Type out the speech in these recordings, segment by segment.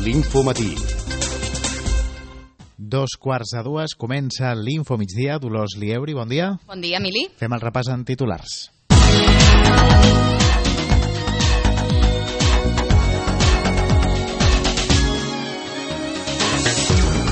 l'Infomatí. 2:45 comença l'Info Migdia. Dolors Lieuri, bon dia. Bon dia, Emili. Fem el repàs en titulars.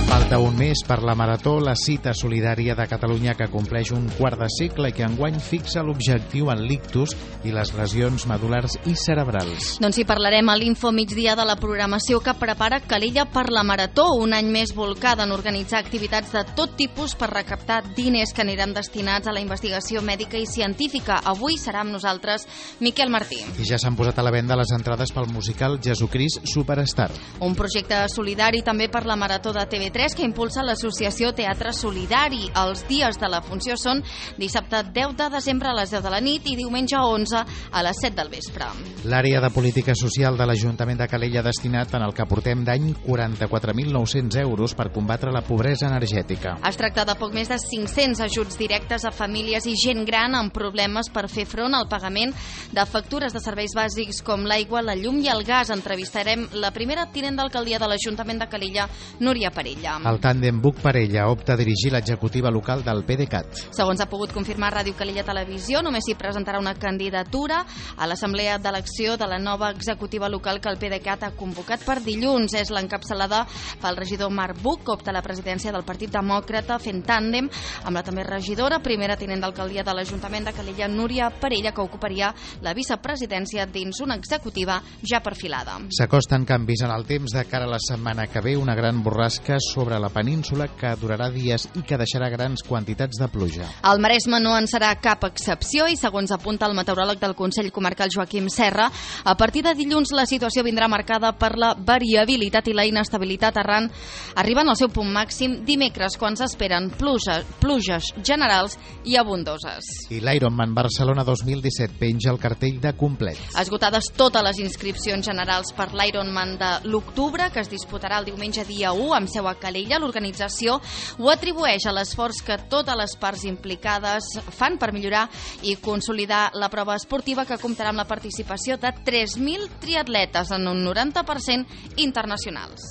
Falta un mes per la Marató, la cita solidària de Catalunya que compleix un quart de segle i que enguany fixa l'objectiu en l'ictus i les lesions medul·lars i cerebrals. Doncs hi parlarem a l'Info Migdia de la programació que prepara Calella per la Marató, un any més volcada en organitzar activitats de tot tipus per recaptar diners que aniran destinats a la investigació mèdica i científica. Avui serà amb nosaltres Miquel Martí. I ja s'han posat a la venda les entrades pel musical Jesucrist Superstar. Un projecte solidari també per la Marató de TV3 que impulsa l'associació Teatre Solidari. Els dies de la funció són dissabte 10 de desembre a les 10 de la nit i diumenge 11 a les 7 del vespre. L'àrea de política social de l'Ajuntament de Calella ha destinat en el que portem d'any 44.900 euros per combatre la pobresa energètica. Es tracta de poc més de 500 ajuts directes a famílies i gent gran amb problemes per fer front al pagament de factures de serveis bàsics com l'aigua, la llum i el gas. Entrevistarem la primera tinent d'alcaldia de l'Ajuntament de Calella, Núria Parella. El tàndem Buch-Parella opta a dirigir l'executiva local del PDeCAT. Segons ha pogut confirmar Ràdio Calella Televisió, només s'hi presentarà una candidatura a l'assemblea d'elecció de la nova executiva local que el PDeCAT ha convocat per dilluns. És l'encapçalada pel regidor Marc Buch, que opta a la presidència del Partit Demòcrata, fent tàndem amb la també regidora, primera tinent d'alcaldia de l'Ajuntament de Calella, Núria Parella, que ocuparia la vicepresidència dins una executiva ja perfilada. S'acosten canvis en el temps de cara a la setmana que ve, una gran borrasca sobre la península que durarà dies i que deixarà grans quantitats de pluja. El Maresme no en serà cap excepció i, segons apunta el meteoròleg del Consell Comarcal Joaquim Serra, a partir de dilluns la situació vindrà marcada per la variabilitat i la inestabilitat arribant al seu punt màxim dimecres, quan s'esperen pluges generals i abundoses. I l'Ironman Barcelona 2017 penja el cartell de complet. Esgotades totes les inscripcions generals per l'Ironman de l'octubre, que es disputarà el diumenge dia 1 amb seu a Calella, l'organització ho atribueix a l'esforç que totes les parts implicades fan per millorar i consolidar la prova esportiva, que comptarà amb la participació de 3.000 triatletes en un 90% internacionals.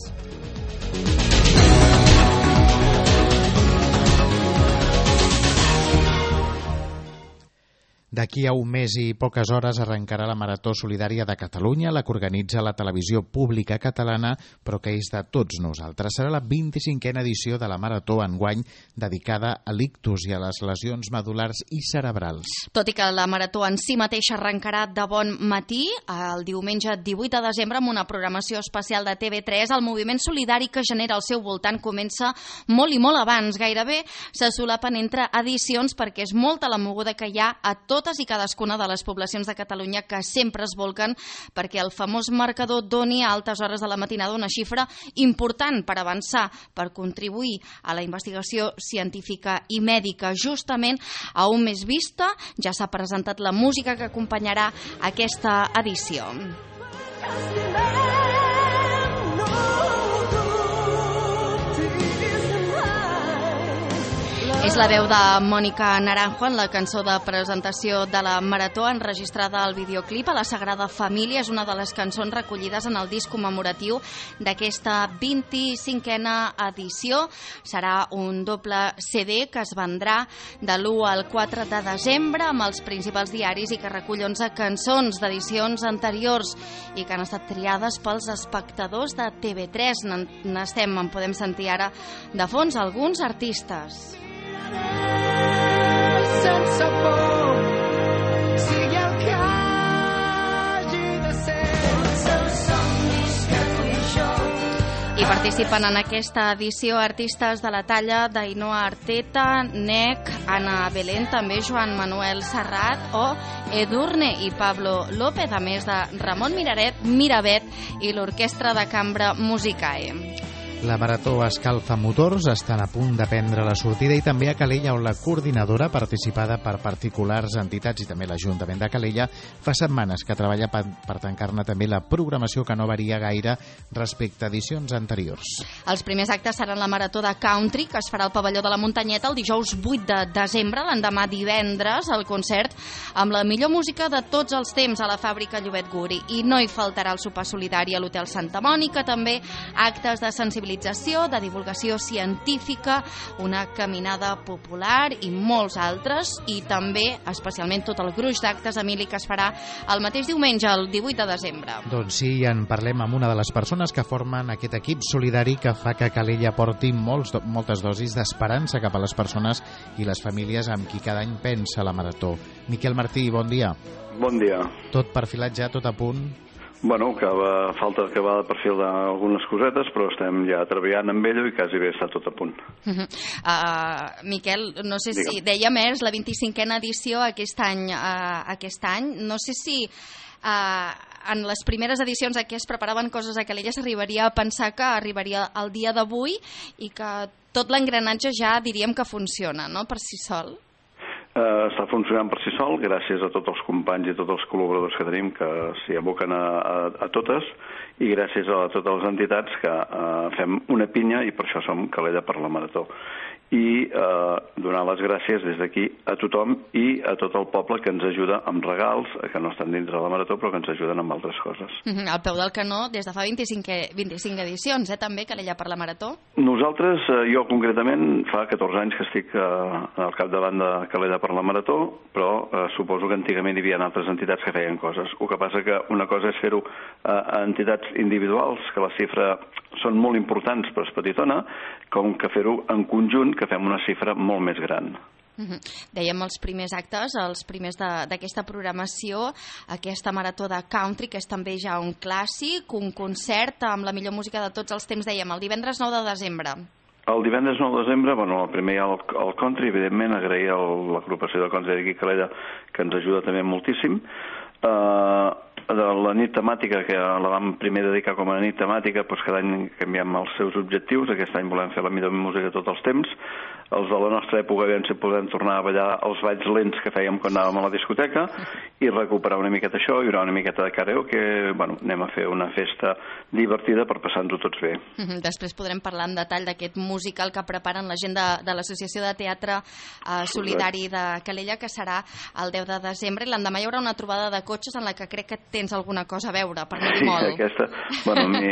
D'aquí a un mes i poques hores arrencarà la Marató Solidària de Catalunya, la que organitza la televisió pública catalana, però que és de tots nosaltres. Serà la 25a edició de la Marató enguany, dedicada a l'ictus i a les lesions medul·lars i cerebrals. Tot i que la Marató en si mateixa arrencarà de bon matí, el diumenge 18 de desembre, amb una programació especial de TV3, el moviment solidari que genera al seu voltant comença molt i molt abans. Gairebé se solapen entre edicions perquè és molta la moguda que hi ha a totes i cadascuna de les poblacions de Catalunya, que sempre es volquen perquè el famós marcador doni a altes hores de la matinada una xifra important per avançar, per contribuir a la investigació científica i mèdica. Justament a un mes vista ja s'ha presentat la música que acompanyarà aquesta edició. És la veu de Mònica Naranjo en la cançó de presentació de la Marató, enregistrada al videoclip a la Sagrada Família. És una de les cançons recollides en el disc commemoratiu d'aquesta 25a edició. Serà un doble CD que es vendrà de l'1 al 4 de desembre amb els principals diaris i que recull 11 cançons d'edicions anteriors i que han estat triades pels espectadors de TV3. En podem sentir ara de fons alguns artistes. Sense por, sigui el que hagi de ser, els seus somnis que tu i jo. I participen en aquesta edició artistes de la talla d'Ainoa Arteta, Nec, Ana Belén, també Joan Manuel Serrat o Edurne i Pablo López, a més de Ramon Miravet i l'Orquestra de Cambra Musicae. La Marató escalfa motors, estan a punt de prendre la sortida, i també a Calella, on la coordinadora, participada per particulars, entitats i també l'Ajuntament de Calella, fa setmanes que treballa per tancar-ne també la programació, que no varia gaire respecte a edicions anteriors. Els primers actes seran la Marató de Country, que es farà al pavelló de la Muntanyeta el dijous 8 de desembre, l'endemà divendres, el concert amb la millor música de tots els temps a la fàbrica Llobet Guri. I no hi faltarà el sopar solidari a l'Hotel Santa Mònica, també actes de sensibilització, de divulgació científica, una caminada popular i molts altres, i també, especialment, tot el gruix d'actes, Emili, que es farà el mateix diumenge, el 18 de desembre. Doncs sí, en parlem amb una de les persones que formen aquest equip solidari que fa que Calella porti moltes dosis d'esperança cap a les persones i les famílies amb qui cada any pensa la Marató. Miquel Martí, bon dia. Bon dia. Tot perfilat ja, tot a punt? Bueno, falta acabar de perfilar algunes cosetes, però estem ja treballant amb ell i quasi bé està tot a punt. Miquel, no sé si dèiem, és la 25a edició aquest any. No sé si en les primeres edicions en què es preparaven coses a Calella s'arribaria a pensar que arribaria el dia d'avui i que tot l'engranatge ja diríem que funciona, no?, per si sol. Està funcionant per si sol, gràcies a tots els companys i tots els col·laboradors que tenim que s'hi aboquen a totes, i gràcies a totes les entitats que fem una pinya, i per això som Calella per la Marató. I donar les gràcies des d'aquí a tothom i a tot el poble que ens ajuda amb regals, que no estan dintre de la Marató, però que ens ajuden amb altres coses. Al peu del canó, des de fa 25 edicions, també, Calella per la Marató? Nosaltres, jo concretament, fa 14 anys que estic al capdavant de Calella per la Marató, però suposo que antigament hi havia altres entitats que feien coses. El que passa que una cosa és fer-ho a entitats individuals, que la xifra són molt importants, però és petitona, com que fer-ho en conjunt, que fem una xifra molt més gran. Dèiem els primers actes, els primers d'aquesta programació, aquesta Marató de Country, que és també ja un clàssic, un concert amb la millor música de tots els temps, dèiem, el divendres 9 de desembre. El divendres 9 de desembre, el primer hi ha el country, evidentment, agrair a l'agrupació de country d'aquí Calella, que ens ajuda també moltíssim. De la nit temàtica, que la vam primer dedicar com a nit temàtica, doncs cada any canviem els seus objectius. Aquest any volem fer la millor música de tots els temps. Els de la nostra època, aviam si podem tornar a ballar els balls lents que fèiem quan anàvem a la discoteca i recuperar una miqueta això. Hi haurà una miqueta de karaoke, anem a fer una festa divertida per passar-nos-ho tots bé. Després podrem parlar en detall d'aquest musical que preparen la gent de l'Associació de Teatre Solidari de Calella, que serà el 10 de desembre, i l'endemà hi haurà una trobada de cotxes en la que crec que tens alguna cosa a veure, per no dir molt. Sí, aquesta,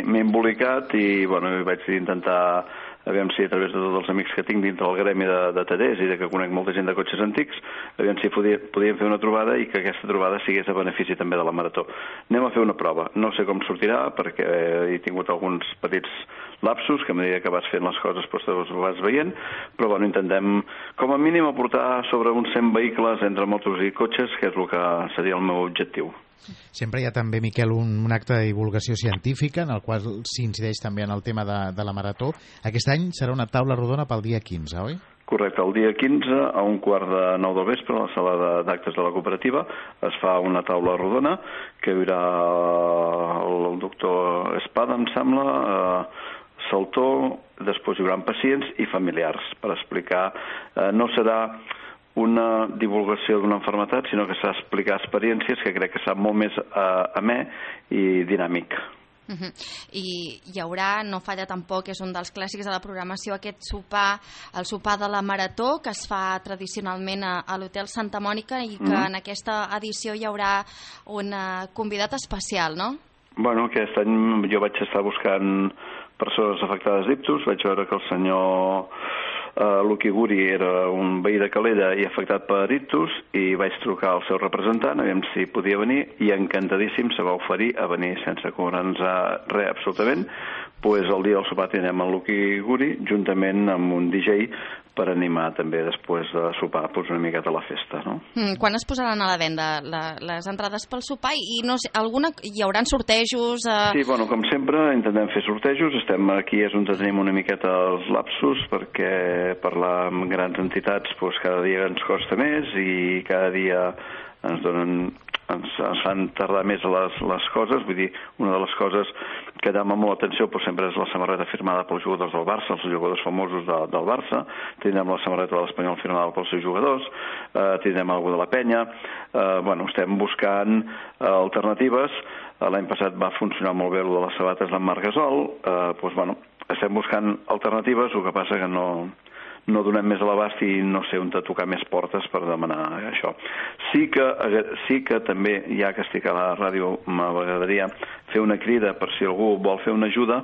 m'he embolicat i vaig intentar, aviam si a través de tots els amics que tinc dintre del gremi de tallers i que conec molta gent de cotxes antics, aviam si podíem fer una trobada i que aquesta trobada sigués a benefici també de la Marató. Anem a fer una prova. No sé com sortirà, perquè he tingut alguns petits lapsus, que a mesura que vas fent les coses doncs ho vas veient, però intentem com a mínim aportar sobre uns 100 vehicles entre motos i cotxes, que és el que seria el meu objectiu. Sempre hi ha també, Miquel, un acte de divulgació científica en el qual s'incideix també en el tema de la Marató. Aquest any serà una taula rodona pel dia 15, oi? Correcte, el dia 15 a 8:45 del vespre a la sala d'actes de la cooperativa es fa una taula rodona que hi haurà el doctor Espada, em sembla, Saltó, després hi haurà pacients i familiars per explicar. No serà una divulgació d'una malaltia, sinó que s'ha d'explicar experiències, que crec que serà molt més amè i dinàmic. I hi haurà, no falla tampoc, és un dels clàssics de la programació, aquest sopar, el sopar de la Marató, que es fa tradicionalment a l'Hotel Santa Mònica, i que en aquesta edició hi haurà un convidat especial, no? Bueno, aquest any jo vaig estar buscant persones afectades d'ictus, vaig veure que el senyor Luqui Guri era un veí de Calella i afectat per ictus, i vaig trucar al seu representant, aviam si podia venir, i encantadíssim se va oferir a venir sense cobrar-nos res absolutament. Pues el dia del sopar tindrem el Luqui Guri juntament amb un DJ per animar també després de sopar una miqueta la festa, no? Quan es posaran a la venda les entrades pel sopar? I no sé, hi haurà sortejos? Sí, com sempre intentem fer sortejos. Estem aquí és on tenim una miqueta els lapsus, perquè parlar amb grans entitats cada dia ens costa més i cada dia ens donen ens fan tardar més les coses. Vull dir, una de les coses que llama molt l'atenció sempre és la samarreta firmada pels jugadors del Barça, els jugadors famosos del Barça. Tindrem la samarreta de l'Espanyol firmada pels seus jugadors, tindrem algú de la penya. Estem buscant alternatives. L'any passat va funcionar molt bé el de les sabates d'en Marc Gasol. Estem buscant alternatives, el que passa que no donem més a l'abast i no sé on tocar més portes per demanar això. Sí que també, ja que estic a la ràdio, m'agradaria fer una crida per si algú vol fer una ajuda,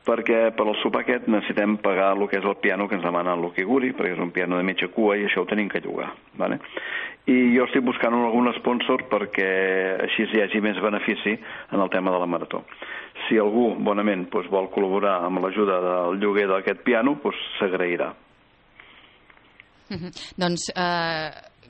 perquè per al sopar aquest necessitem pagar el que és el piano que ens demana el Luqui Guri, perquè és un piano de mitja cua i això ho tenim que llogar. Vale? I jo estic buscant algun sponsor perquè així hi hagi més benefici en el tema de la marató. Si algú, bonament, vol col·laborar amb l'ajuda del lloguer d'aquest piano, s'agrairà. Doncs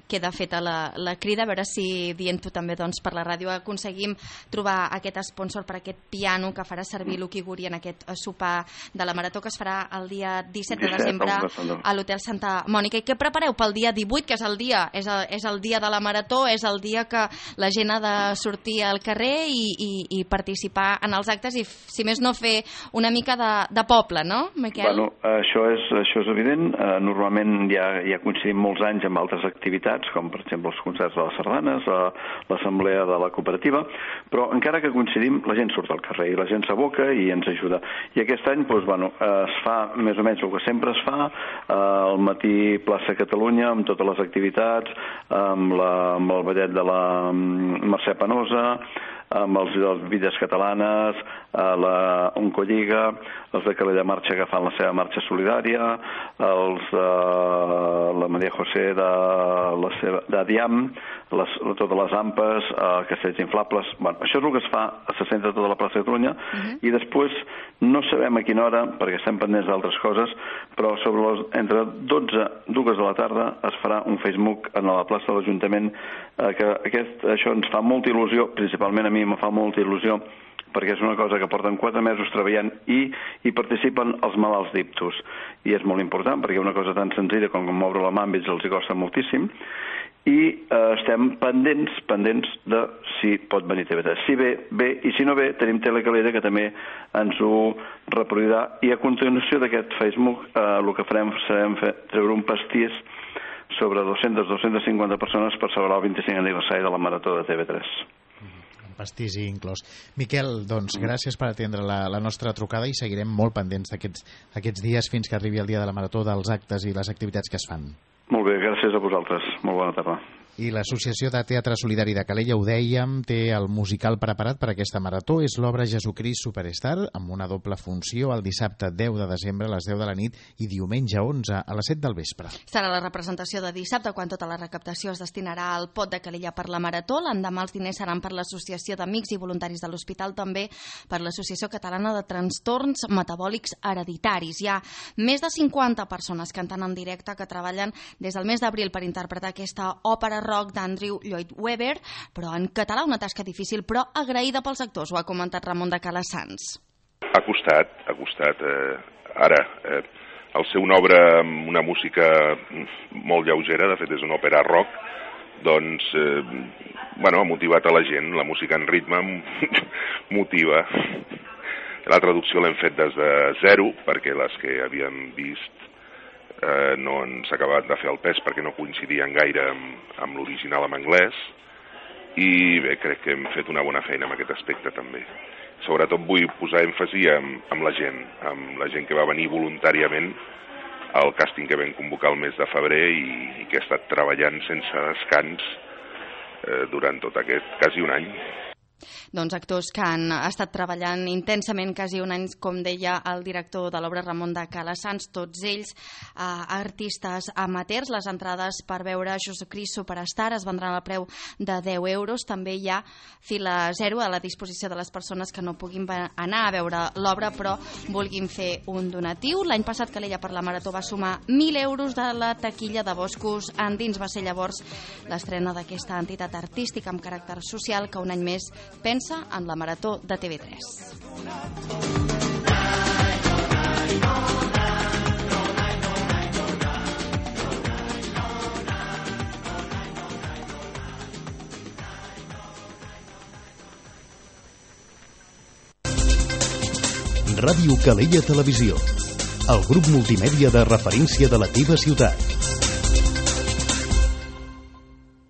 queda feta la crida, a veure si dient-ho també per la ràdio aconseguim trobar aquest sponsor per aquest piano que farà servir Luqui Guri en aquest sopar de la Marató que es farà el dia 17 de desembre a l'Hotel Santa Mònica. I què prepareu pel dia 18, que és el dia de la Marató, és el dia que la gent ha de sortir al carrer i participar en els actes i, si més no, fer una mica de poble, no, Miquel? Això és evident. Normalment ja coincidim molts anys amb altres activitats, com per exemple els concerts de les sardanes, l'assemblea de la cooperativa, però encara que coincidim, la gent surt al carrer i la gent s'aboca i ens ajuda. I aquest any es fa més o menys el que sempre es fa, al matí plaça Catalunya, amb totes les activitats, amb el ballet de la Mercè Penosa, amb els Vides Catalanes, la Oncolliga, els de Calella Marxa que fan la seva marxa solidària, els de la Maria José de Diam, totes les ampes, castells inflables. Això és el que es fa, se centra tota la plaça de Catalunya, i després no sabem a quina hora, perquè estem pendents d'altres coses, però entre 12 i 2 de la tarda es farà un Facebook a la plaça de l'Ajuntament, que això ens fa molta il·lusió, principalment a mi me fa molta il·lusió, perquè és una cosa que porten 4 mesos treballant i participen els malalts d'ictus. I és molt important, perquè una cosa tan senzilla com moure la mà amb ells els costa moltíssim, i estem pendents de si pot venir TV3. Si bé, i si no ve, tenim Telecalella, que també ens ho reproduirà, i a continuació d'aquest Facebook el que farem serà treure un pastís sobre 200-250 persones per celebrar el 25 aniversari de la Marató de TV3. Pastís i inclòs. Miquel, doncs, gràcies per atendre la nostra trucada i seguirem molt pendents d'aquests dies fins que arribi el dia de la Marató, dels actes i les activitats que es fan. Molt bé, gràcies a vosaltres. Molt bona tarda. I l'Associació de Teatre Solidari de Calella, ho dèiem, té el musical preparat per aquesta marató. És l'obra Jesucrist Superstar, amb una doble funció el dissabte 10 de desembre a les 10 de la nit i diumenge 11 a les 7 del vespre. Serà la representació de dissabte, quan tota la recaptació es destinarà al pot de Calella per la marató. L'endemà els diners seran per l'Associació d'Amics i Voluntaris de l'Hospital, també per l'Associació Catalana de Trastorns Metabòlics Hereditaris. Hi ha més de 50 persones cantant en directe que treballen des del mes d'abril per interpretar aquesta òpera rock d'Andrew Lloyd Webber, però en català, una tasca difícil però agraïda pels actors, ho ha comentat Ramon de Calassanç. Ha costat. Ara, al ser una obra amb una música molt lleugera, de fet és una òpera rock, doncs, ha motivat a la gent, la música en ritme motiva. La traducció l'hem fet des de zero, perquè les que havíem vist no ens ha acabat de fer el pes perquè no coincidien gaire amb l'original en anglès, i bé, crec que hem fet una bona feina en aquest aspecte també. Sobretot vull posar èmfasi amb la gent que va venir voluntàriament al càsting que vam convocar el mes de febrer i que ha estat treballant sense descans durant tot aquest quasi un any. Doncs actors que han estat treballant intensament quasi un any, com deia el director de l'obra Ramon de Calassanç, tots ells artistes amateurs. Les entrades per veure Jesucrist Superstar es vendran al preu de 10 euros. També hi ha fila zero a la disposició de les persones que no puguin anar a veure l'obra però vulguin fer un donatiu. L'any passat Calella per la Marató va sumar 1.000 euros de la taquilla de Boscos Endins. Va ser llavors l'estrena d'aquesta entitat artística amb caràcter social que un any més pensa en la Marató de TV3. Ràdio Calella Televisió, el grup multimèdia de referència de la teva ciutat.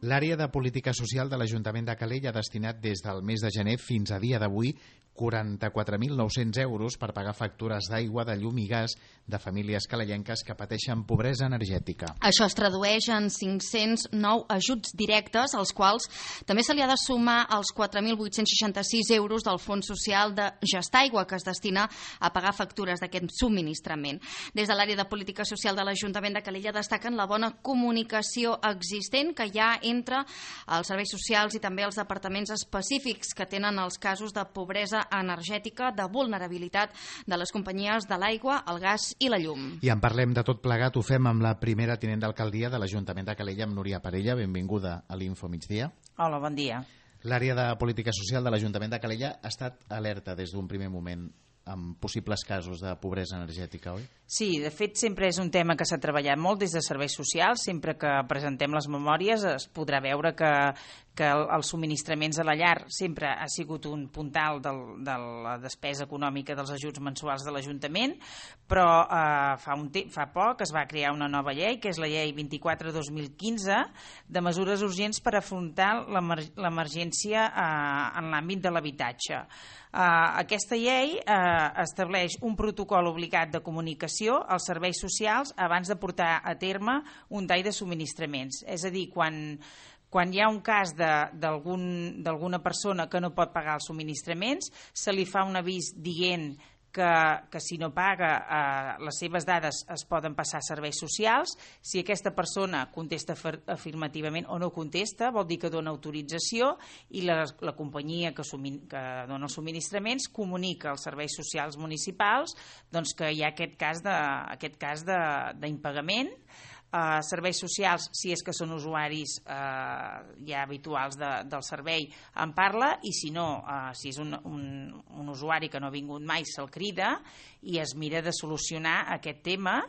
L'àrea de política social de l'Ajuntament de Calella ha destinat des del mes de gener fins a dia d'avui 44.900 euros per pagar factures d'aigua, de llum i gas de famílies calellenques que pateixen pobresa energètica. Això es tradueix en 509 ajuts directes, als quals també se li ha de sumar els 4.866 euros del Fons Social de Gestaigua, que es destina a pagar factures d'aquest subministrament. Des de l'àrea de política social de l'Ajuntament de Calella destaquen la bona comunicació existent que hi ha entre els serveis socials i també els departaments específics que tenen els casos de pobresa energètica, de vulnerabilitat de les companyies de l'aigua, el gas i la llum. I en parlem de tot plegat, ho fem amb la primera tinent d'alcaldia de l'Ajuntament de Calella, amb Núria Parella. Benvinguda a l'Info Migdia. Hola, bon dia. L'àrea de política social de l'Ajuntament de Calella ha estat alerta des d'un primer moment amb possibles casos de pobresa energètica, oi? Sí, de fet sempre és un tema que s'ha treballat molt des de serveis socials. Sempre que presentem les memòries es podrà veure que els subministraments a la llar sempre ha sigut un puntal de la despesa econòmica dels ajuts mensuals de l'Ajuntament, però fa poc es va crear una nova llei, que és la llei 24/2015, de mesures urgents per afrontar l'emergència en l'àmbit de l'habitatge. Aquesta llei estableix un protocol obligat de comunicació als serveis socials abans de portar a terme un tall de subministraments. És a dir, quan hi ha un cas d'alguna persona que no pot pagar els subministraments, se li fa un avís dient que si no paga les seves dades es poden passar a serveis socials. Si aquesta persona contesta afirmativament o no contesta, vol dir que dona autorització i la companyia que dona els subministraments comunica als serveis socials municipals doncs, que hi ha aquest cas d'impagament. Serveis socials, si és que són usuaris ja habituals del servei, en parla, i si no, si és un usuari que no ha vingut mai, se'l crida i es mira de solucionar aquest tema,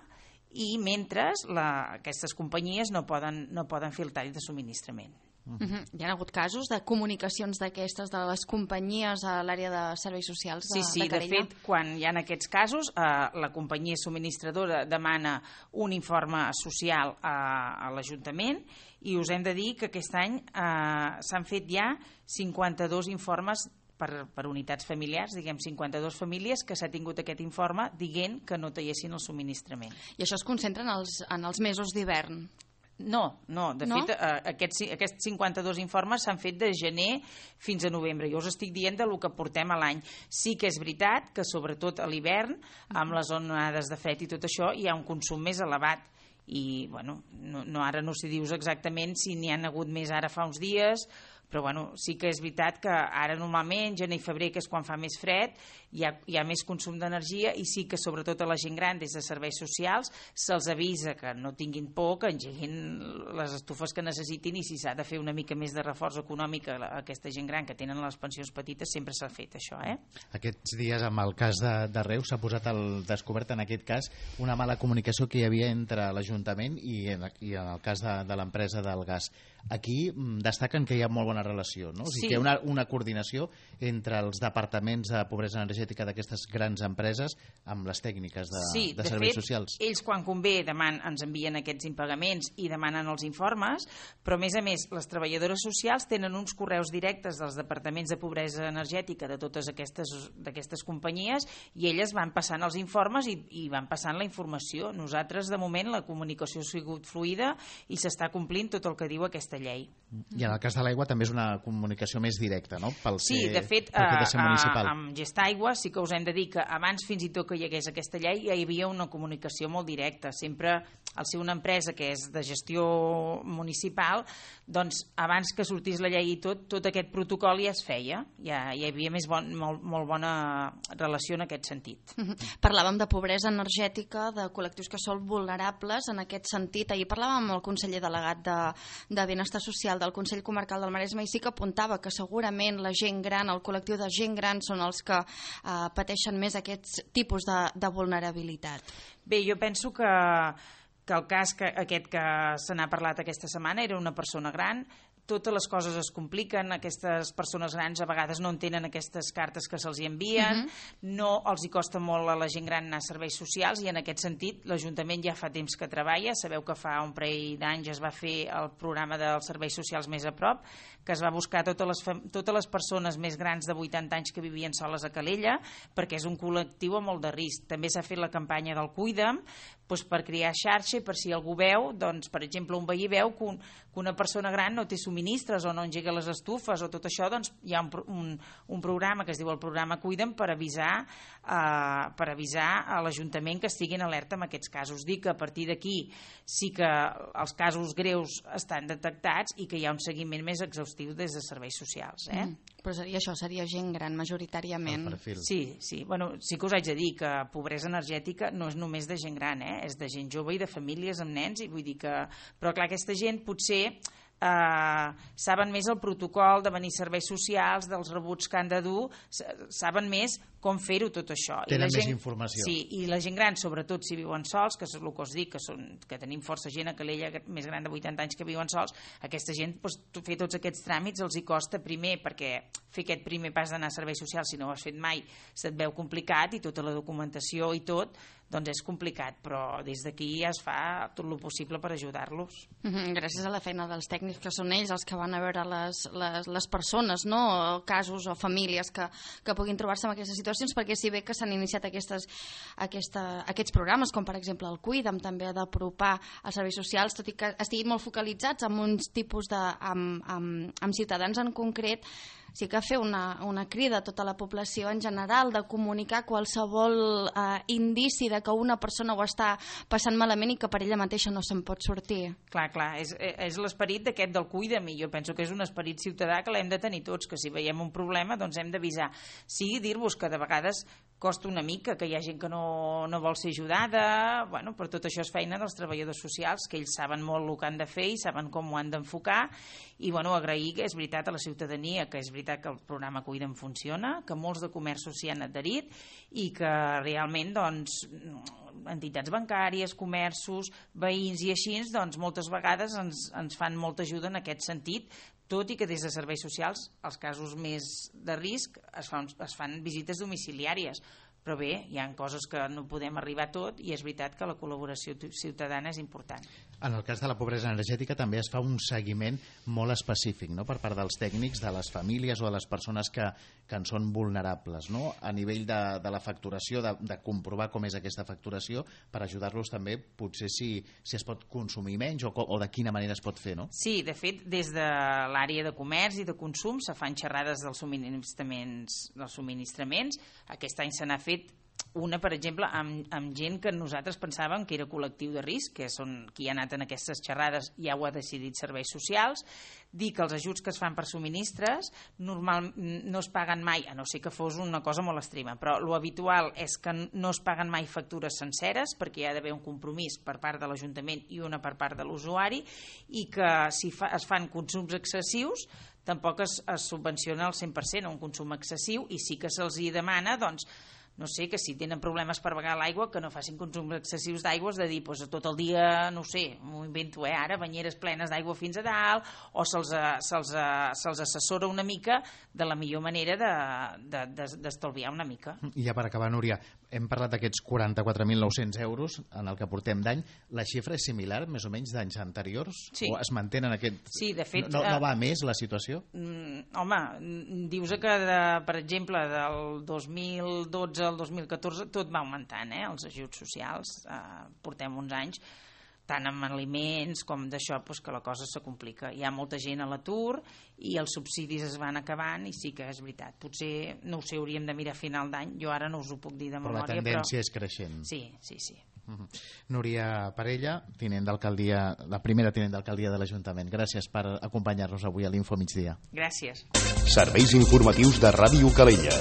i mentre aquestes companyies no poden fer el tall de subministrament. Hi ha hagut casos de comunicacions d'aquestes de les companyies a l'àrea de serveis socials de Calella? De fet, quan hi ha aquests casos, la companyia subministradora demana un informe social a l'Ajuntament, i us hem de dir que aquest any s'han fet ja 52 informes per unitats familiars, 52 famílies que s'ha tingut aquest informe dient que no tallessin el subministrament. I això es concentra en els mesos d'hivern? No, de fet aquests 52 informes s'han fet de gener fins a novembre. Jo us estic dient del que portem a l'any. Sí que és veritat que sobretot a l'hivern, amb les onades de fred i tot això, hi ha un consum més elevat. I ara no sé dir-vos exactament si n'hi han hagut més ara fa uns dies, però sí que és veritat que ara normalment, gener i febrer, que és quan fa més fred, hi ha més consum d'energia, i sí que sobretot a la gent gran, des de serveis socials, se'ls avisa que no tinguin por, que engeguin les estufes que necessitin, i si s'ha de fer una mica més de reforç econòmic a aquesta gent gran que tenen les pensions petites, sempre s'ha fet això. Aquests dies, amb el cas de Reus, s'ha posat al descobert en aquest cas una mala comunicació que hi havia entre l'Ajuntament i en el cas de l'empresa del gas. Aquí destaquen que hi ha molt bona relació, no? O sigui, que hi ha una coordinació entre els departaments de pobresa energètica d'aquestes grans empreses amb les tècniques de serveis socials. Sí, de fet, ells quan convé ens envien aquests impagaments i demanen els informes, però a més, les treballadores socials tenen uns correus directes dels departaments de pobresa energètica de totes d'aquestes companyies, i elles van passant els informes i van passant la informació. Nosaltres, de moment, la comunicació ha sigut fluida i s'està complint tot el que diu aquesta llei. I en el cas de l'aigua també és una comunicació més directa, no? Sí, de fet, amb Gestaigua sí que us hem de dir que abans fins i tot que hi hagués aquesta llei ja hi havia una comunicació molt directa. Sempre, al ser una empresa que és de gestió municipal, doncs abans que sortís la llei i tot aquest protocol ja es feia. Ja hi havia molt bona relació en aquest sentit. Parlàvem de pobresa energètica, de col·lectius que són vulnerables en aquest sentit. Ahir parlàvem amb el conseller delegat de Benestar Social del Consell Comarcal del Maresme, i sí que apuntava que segurament la gent gran, el col·lectiu de gent gran, són els que pateixen més aquests tipus de vulnerabilitat. Bé, jo penso que el cas aquest que se n'ha parlat aquesta setmana era una persona gran. totes les coses es compliquen, aquestes persones grans a vegades no entenen aquestes cartes que se'ls envien, no els hi costa molt a la gent gran anar a serveis socials, i en aquest sentit l'Ajuntament ja fa temps que treballa. Sabeu que fa un parell d'anys es va fer el programa dels serveis socials més a prop, que es va buscar totes les persones més grans de 80 anys que vivien soles a Calella, perquè és un col·lectiu amb molt de risc. També s'ha fet la campanya del Cuida'm, doncs per crear xarxa, i per si algú veu, doncs, per exemple, un veí veu que una persona gran no té subministres o no engega les estufes o tot això, doncs hi ha un programa que es diu el programa Cuida'm per avisar a l'Ajuntament que estiguin alerta en aquests casos. Dic que a partir d'aquí sí que els casos greus estan detectats i que hi ha un seguiment més exhaustiu des de serveis socials. Però això seria gent gran majoritàriament. Sí. Bueno, sí que us haig de dir que pobresa energètica no és només de gent gran, és de gent jove i de famílies amb nens, i vull dir que... Però clar, aquesta gent potser saben més el protocol de venir serveis socials, dels rebuts que han de dur, saben més com fer-ho tot això. Tenen més informació. Sí, i la gent gran, sobretot si viuen sols, que és el que us dic, que tenim força gent a Calella més gran de 80 anys que viuen sols, aquesta gent, fer tots aquests tràmits els hi costa primer, perquè fer aquest primer pas d'anar a serveis socials, si no ho has fet mai, se't veu complicat, i tota la documentació i tot, doncs és complicat, però des d'aquí es fa tot el possible per ajudar-los. Gràcies a la feina dels tècnics, que són ells els que van a veure les persones, no? Casos o famílies que puguin trobar-se en aquestes situacions, perquè si bé que s'han iniciat aquests programes, com per exemple el Cuida'm, també d'apropar als serveis socials, tot i que estiguin molt focalitzats en uns tipus amb ciutadans en concret, sí que fer una crida a tota la població en general de comunicar qualsevol indici de que una persona ho està passant malament i que per ella mateixa no se'n pot sortir. Clar, és l'esperit d'aquest del Cuida'm, i jo penso que és un esperit ciutadà que l'hem de tenir tots, que si veiem un problema doncs hem d'avisar. Sí, dir-vos que de vegades costa una mica, que hi ha gent que no vol ser ajudada, bueno, però tot això és feina dels treballadors socials, que ells saben molt el que han de fer i saben com ho han d'enfocar, i bueno, agrair que és veritat a la ciutadania, que és veritat que el programa Cuida'm funciona, que molts de comerços s'hi han adherit i que realment doncs entitats bancàries, comerços, veïns i així, doncs moltes vegades ens fan molta ajuda en aquest sentit, tot i que des de serveis socials, els casos més de risc, es fan visites domiciliàries. Però bé, hi ha coses que no podem arribar a tot, i és veritat que la col·laboració ciutadana és important. En el cas de la pobresa energètica també es fa un seguiment molt específic, no?, per part dels tècnics, de les famílies o de les persones que en són vulnerables, no?, a nivell de la facturació, de comprovar com és aquesta facturació, per ajudar-los també potser si es pot consumir menys o de quina manera es pot fer, no? Sí, de fet, des de l'àrea de comerç i de consum se fan xerrades dels subministraments. Aquest any se n'ha fet una, per exemple, amb gent que nosaltres pensàvem que era col·lectiu de risc, que són qui ha anat en aquestes xerrades, ja ho ha decidit serveis socials. Dir que els ajuts que es fan per subministres normalment no es paguen mai, a no ser que fos una cosa molt extrema, però lo habitual és que no es paguen mai factures senceres, perquè hi ha d'haver un compromís per part de l'Ajuntament i una per part de l'usuari, i que si es fan consums excessius tampoc es subvenciona al 100% un consum excessiu, i sí que se'ls hi demana, doncs, no sé, que si tenen problemes per begar l'aigua, que no facin consums excessius d'aigua, de dir, doncs, tot el dia, no sé, m'ho invento, ara, banyeres plenes d'aigua fins a dalt, o se'ls assessora una mica de la millor manera d'estalviar una mica. I ja per acabar, Núria, hem parlat d'aquests 44.900 euros en el que portem d'any. La xifra és similar, més o menys, d'anys anteriors? Sí. O es mantenen aquest... Sí, de fet... No va més la situació? Home, dius que, per exemple, del 2012 al 2014 tot va augmentant, els ajuts socials. Portem uns anys tant amb aliments com d'això, que la cosa se complica. Hi ha molta gent a l'atur i els subsidis es van acabant, i sí que és veritat. Potser, no ho sé, hauríem de mirar a final d'any, jo ara no us ho puc dir de memòria. Però la tendència és creixent. Sí. Núria Parella, la primera tinent d'alcaldia de l'Ajuntament. Gràcies per acompanyar-nos avui a l'Info Migdia. Gràcies. Serveis informatius de Ràdio Calella.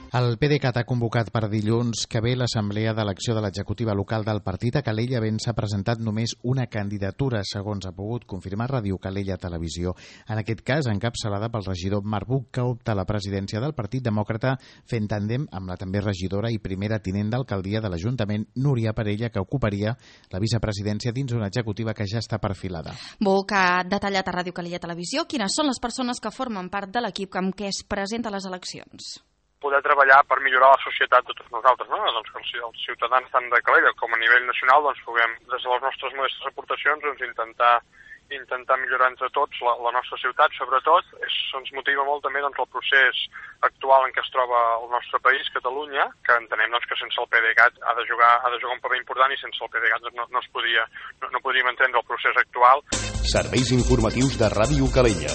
El PDeCAT ha convocat per dilluns que ve l'assemblea d'elecció de l'executiva local del partit a Calella, havent s'ha presentat només una candidatura, segons ha pogut confirmar Ràdio Calella Televisió. En aquest cas, encapçalada pel regidor Marc Buch, que opta a la presidència del Partit Demòcrata, fent tàndem amb la també regidora i primera tinent d'alcaldia de l'Ajuntament, Núria Parella, que ocuparia la vicepresidència dins una executiva que ja està perfilada. Buch ha detallat a Ràdio Calella Televisió quines són les persones que formen part de l'equip amb què es presenta a les eleccions. Poder treballar per millorar la societat de tots nosaltres, no? Doncs que els ciutadans tant de Calella com a nivell nacional doncs puguem, des de les nostres modestes aportacions, doncs intentar millorar entre tots la nostra ciutat, sobretot. Ens motiva molt també doncs, el procés actual en què es troba el nostre país, Catalunya, que entenem doncs, que sense el PDeCAT ha de jugar un paper important i sense el PDeCAT doncs, no podríem entendre el procés actual. Serveis informatius de Ràdio Calella.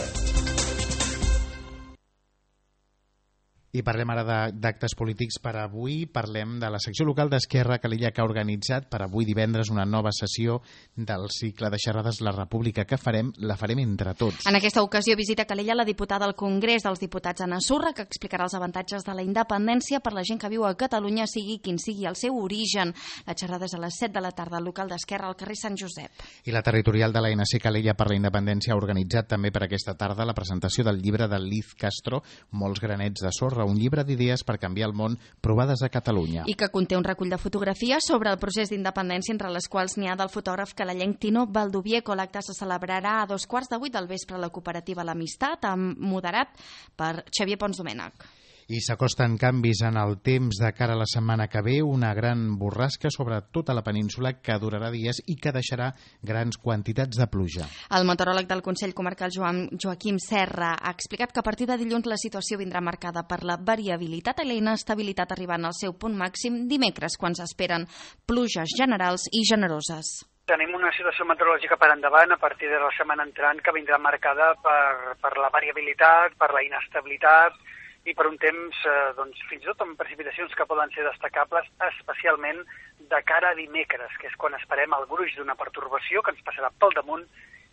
I parlem ara d'actes polítics per avui. Parlem de la secció local d'Esquerra Calella, que ha organitzat per avui divendres una nova sessió del cicle de xerrades La República que la farem entre tots. En aquesta ocasió visita Calella la diputada al Congrés dels Diputats, Anna Surra, que explicarà els avantatges de la independència per la gent que viu a Catalunya, sigui quin sigui el seu origen. La xerrada és a les 7 de la tarda al local d'Esquerra al carrer Sant Josep. I la territorial de l'ANC Calella per la Independència ha organitzat també per aquesta tarda la presentació del llibre de Liz Castro, Molts granets de sorra, un llibre d'idees per canviar el món provades a Catalunya. I que conté un recull de fotografies sobre el procés d'independència, entre les quals n'hi ha del fotògraf calellenc Tino Valdovieco. L'acte se celebrarà a 7:15 del vespre a la cooperativa L'Amistat, moderat per Xavier Pons Domènech. I s'acosten canvis en el temps de cara a la setmana que ve, una gran borrasca sobre tota la península que durarà dies i que deixarà grans quantitats de pluja. El meteoròleg del Consell Comarcal Joaquim Serra ha explicat que a partir de dilluns la situació vindrà marcada per la variabilitat i la inestabilitat, arribant al seu punt màxim dimecres, quan s'esperen pluges generals i generoses. Tenim una situació meteorològica per endavant a partir de la setmana entrant que vindrà marcada per la variabilitat, per la inestabilitat i per un temps, doncs, fins i tot amb precipitacions que poden ser destacables, especialment de cara a dimecres, que és quan esperem el gruix d'una pertorbació que ens passarà pel damunt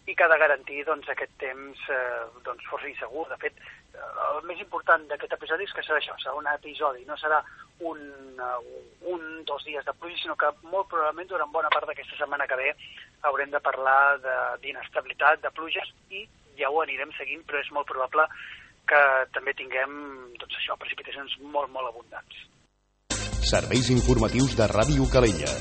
i que ha de garantir doncs, aquest temps doncs, força insegur. De fet, el més important d'aquest episodi és que serà això, serà un episodi, no serà dos dies de pluja, sinó que molt probablement durant bona part d'aquesta setmana que ve haurem de parlar d'inestabilitat, de pluges, i ja ho anirem seguint, però és molt probable que també tinguem doncs això, precipitacions molt, molt abundants. Serveis informatius de Ràdio Calella.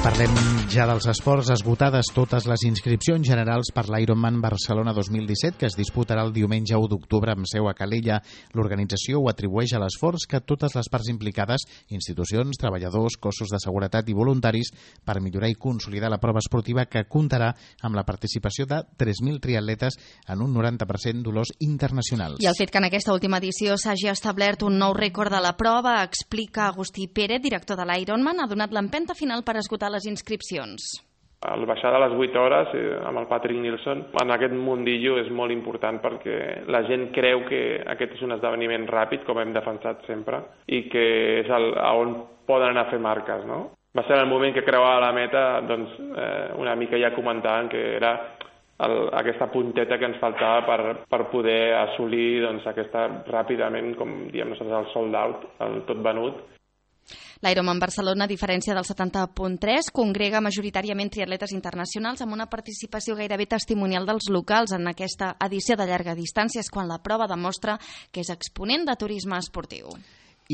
Parlem ja dels esports. Esgotades totes les inscripcions generals per l'Ironman Barcelona 2017, que es disputarà el diumenge 1 d'octubre amb seu a Calella. L'organització ho atribueix a l'esforç que totes les parts implicades, institucions, treballadors, cossos de seguretat i voluntaris, per millorar i consolidar la prova esportiva, que comptarà amb la participació de 3.000 triatletes en un 90% d'olors internacionals. I el fet que en aquesta última edició s'hagi establert un nou rècord de la prova, explica Agustí Pérez, director de l'Ironman, ha donat l'empenta final per esgotar les inscripcions. El baixar de les 8 hores amb el Patrick Nilsson en aquest mundillo és molt important perquè la gent creu que aquest és un esdeveniment ràpid, com hem defensat sempre, i que és on poden anar a fer marques, no? Va ser el moment que creuava la meta, doncs una mica ja comentaven que era aquesta punteta que ens faltava per poder assolir doncs, aquesta ràpidament, com diem nosaltres, el sold out, el tot venut. L'Ironman Barcelona, a diferència del 70.3, congrega majoritàriament triatletes internacionals amb una participació gairebé testimonial dels locals en aquesta edició de llarga distància, quan la prova demostra que és exponent de turisme esportiu.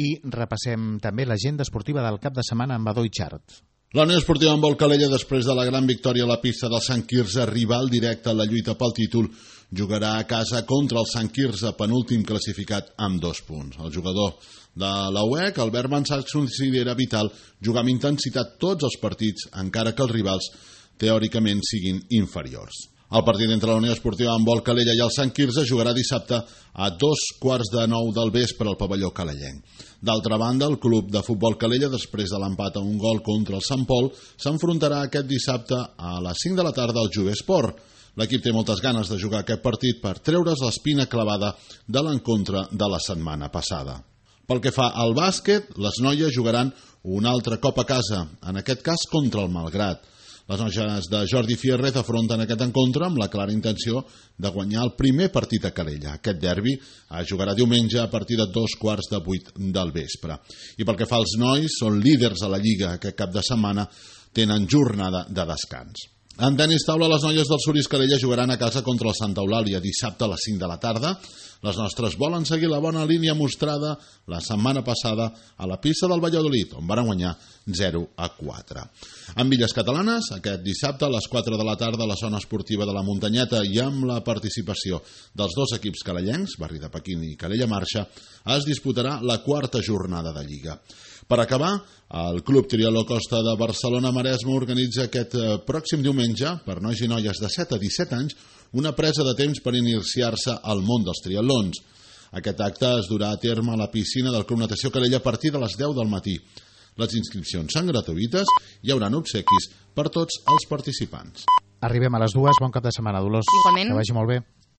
I repassem també l'agenda esportiva del cap de setmana amb Adó i Xart. La Unió Esportiva Handbol Calella, després de la gran victòria a la pista del Sant Quirze, rival directe a la lluita pel títol, jugarà a casa contra el Sant Quirze, penúltim classificat, amb 2 punts. El jugador de la UEC, Albert Mansach, considera vital jugar amb intensitat tots els partits, encara que els rivals teòricament siguin inferiors. El partit entre la Unió Esportiva Handbol Calella i el Sant Quirze jugarà dissabte a 8:45 del vespre al pavelló calellenc. D'altra banda, el club de futbol Calella, després de l'empat a un gol contra el Sant Pol, s'enfrontarà aquest dissabte a les 5 de la tarda al Jove Esport. L'equip té moltes ganes de jugar aquest partit per treure's l'espina clavada de l'encontre de la setmana passada. Pel que fa al bàsquet, les noies jugaran un altre cop a casa, en aquest cas contra el Malgrat. Les noies de Jordi Fierrez afronten aquest encontre amb la clara intenció de guanyar el primer partit a Calella. Aquest derbi es jugarà diumenge a partir de 7:45 del vespre. I pel que fa als nois, són líders a la Lliga. Aquest cap de setmana tenen jornada de descans. En tenis taula, les noies del Suris Calella jugaran a casa contra el Santa Eulàlia dissabte a les 5 de la tarda. Les nostres volen seguir la bona línia mostrada la setmana passada a la pista del Valladolid, on van guanyar 0-4. En Villes Catalanes, aquest dissabte a les 4 de la tarda a la zona esportiva de la Muntanyeta i amb la participació dels dos equips calellencs, Barri de Pequín i Calella Marxa, es disputarà la quarta jornada de Lliga. Per acabar, el Club Triatló Costa de Barcelona-Maresme organitza aquest pròxim diumenge, per nois i noies de 7 a 17 anys, una presa de temps per iniciar-se al món dels triatlons. Aquest acte es durà a terme a la piscina del Club Natació Calella a partir de les 10 del matí. Les inscripcions són gratuïtes i hi haurà obsequis per tots els participants. Arribem a les 2, bon cap de setmana, Dolors. Igualment. Que vagi molt bé.